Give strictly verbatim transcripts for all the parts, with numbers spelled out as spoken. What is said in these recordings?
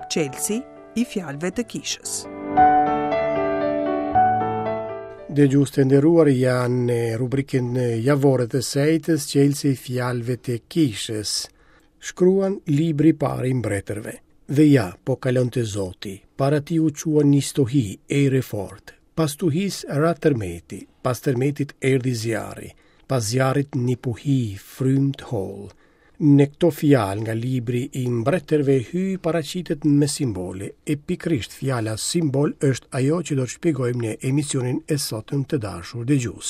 Çelësi i fjalëve të kishës. Dëgjues të nderuar, janë në rubrikën javore të së enjtes, Çelësi i fjalëve të kishës. Shkruan libri i parë i mbretërve. Dhe ja, po kalonte Zoti, para tij u çua një stuhi, erë e fortë. Pas stuhisë ra tërmeti, pas tërmetit erdhi zjarri, pas zjarrit një puhi, frymë të hollë. Në këto fjalë nga libri i mbretërve Hyji paraqitet me simbole, e pikërisht fjala simbol është ajo që do të shpjegojmë në emisionin e sotëm të dashur dëgjues.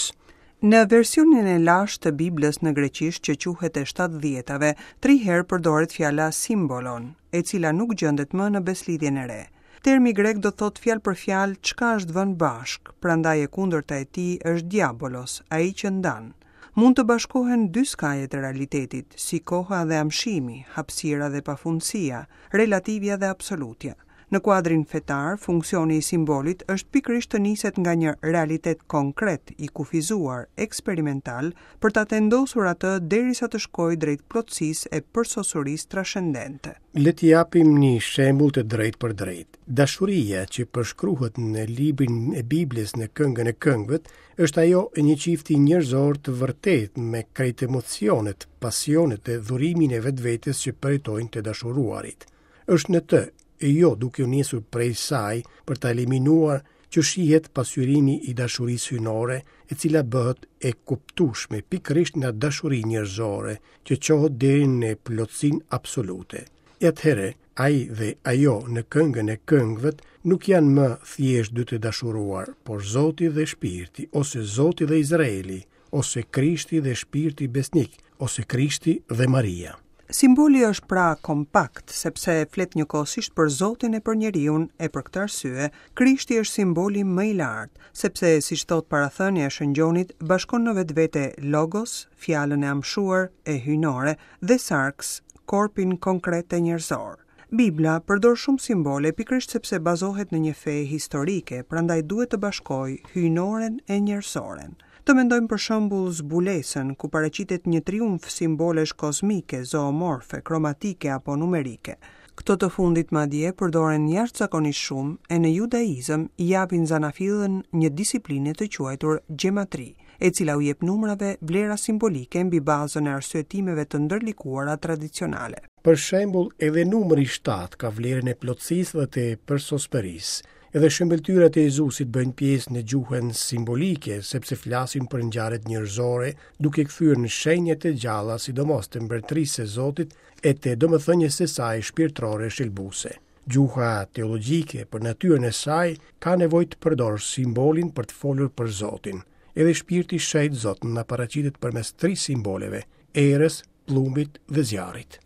Në versionin e lashtë të Biblës në greqisht që quhet e shtatëdhjetave, tri herë përdoret fjala simbolon, e cila nuk gjendet më në Beslidhjen e Re. Termi grek do thotë fjalë për fjalë çka është vënë bashk, prandaj e kundërta e tij është diabolos, ai që ndan. Mund të bashkohen dy skajet e realitetit, si koha dhe amshimi, hapësira dhe pafundësia, relativja dhe absolutja. Në kuadrin fetar, funksioni i simbolit është pikërisht të niset nga një realitet konkret, i kufizuar, eksperimental, për ta tendosur atë derisa të shkojë drejt plotësisë e përsosurisë transcendente. Le të japim një shembull të drejtë për drejtë. Dashuria që përshkruhet në librin e Biblës në Këngën e Këngëve është ajo e një çifti njerëzor të vërtetë me krejt emocionet, pasionet dhe dhurimin e vetvetes që përjetojnë të dashuruarit. Është në të, e jo duke u nisur prej saj për ta eliminuar, që shihet pasqyrimi i dashurisë hyjnore, e cila bëhet e kuptueshme pikërisht nga dashuri njerëzore, që çohet deri në plotësinë absolute. E atëherë, ai dhe ajo në Këngën e Këngëve nuk janë më thjesht dy të dashuruar, por Zoti dhe Shpirti, ose Zoti dhe Izraeli, ose Krishti dhe Shpirti besnik, ose Krishti dhe Maria. Simboli është pra kompakt, sepse flet njëkohësisht për Zotin e për njeriun, e për këtë arsye, Krishti është simboli më i lartë, sepse, siç thot parathënia e Shën Gjonit, bashkon në vetvete logos, fjalën e amshuar e hyjnore, dhe sarks, korpin konkret e njerëzor. Bibla përdor shumë simbole pikërisht sepse bazohet në një fe historike, prandaj duhet të bashkojë hyjnoren e njerëzoren. Të mendojmë për shembull zbulesën, ku paraqitet një triumf simbolesh kozmike, zoomorfe, kromatike apo numerike. Këto të fundit madje përdoren jashtëzakonisht shumë e në judaizëm i japin zanafillën një disipline të quajtur gjematri, e cila u jep numrave vlera simbolike mbi bazën e arsyetimeve të ndërlikuara tradicionale. Për shembull, edhe numri shtatë ka vlerën e plotësisë dhe të përsosmërisë. Edhe shëmbëlltyrat e Jezusit bëjnë pjesë në gjuhën simbolike, sepse flasin për ngjarjet njerëzore, duke kthyer në shenja të gjalla, sidomos të mbretërisë së Zotit e të domethënies së saj shpirtërore shëlbuese. Gjuha teologjike për natyrën e saj ka nevojë të përdorë simbolin për të folur për Zotin. Edhe shpirti i shenjtë Zot na paraqitet përmes tri simboleve: erës, plumbit dhe zjarrit.